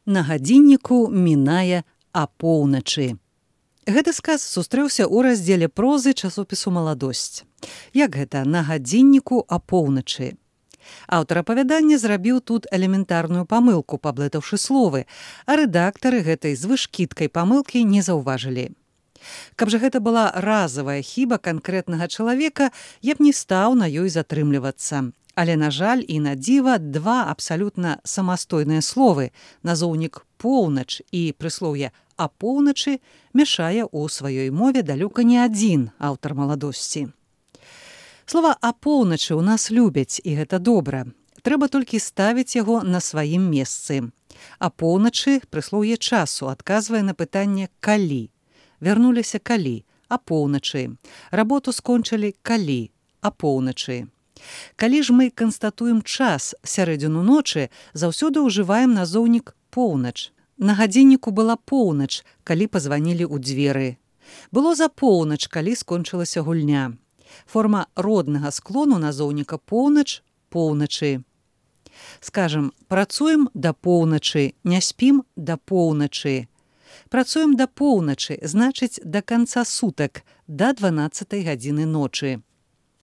На гадзінніку мінае апоўначы. Гэты сказ сустрэўся ў раздзеле прозы часопісу «Маладосць». Як гэта «на гадзінніку апоўначы»? Аўтар апавядання зрабіў тут элементарную памылку, паблытаўшы словы, а рэдактары гэтай звышкідкай памылкі не заўважылі. Каб жа гэта была разавая хіба канкрэтнага чалавека, я б не стаў на ёй затрымлівацца. Але, на жаль, і на дзіва, два абсалютна самастойныя словы, назоўнік «поўнач» і прыслоўе «апоўначы» мяшае ў сваёй мове далёка не адзін аўтар «Маладосці». Слова «апоўначы» ў нас любяць, і гэта добра. Трэба толькі ставіць яго на сваім месцы. Апоўначы прыслоўе часу адказвае на пытанне «калі». Вярнуліся калі? Апоўначы. Работу скончылі калі? Апоўначы. Калі ж мы канстатуем час сярэдзіну ночы, заўсёды ўжываем назоўнік «поўнач». На гадзінніку была поўнач, калі пазванілі ў дзверы. Было за поўнач, калі скончылася гульня. Форма роднага склону назоўніка «поўнач» – «поўначы». Скажам, працуем да поўначы, не спім да поўначы. Працуем да поўначы, значыць, да канца сутак, да 12 гадзіны ночы.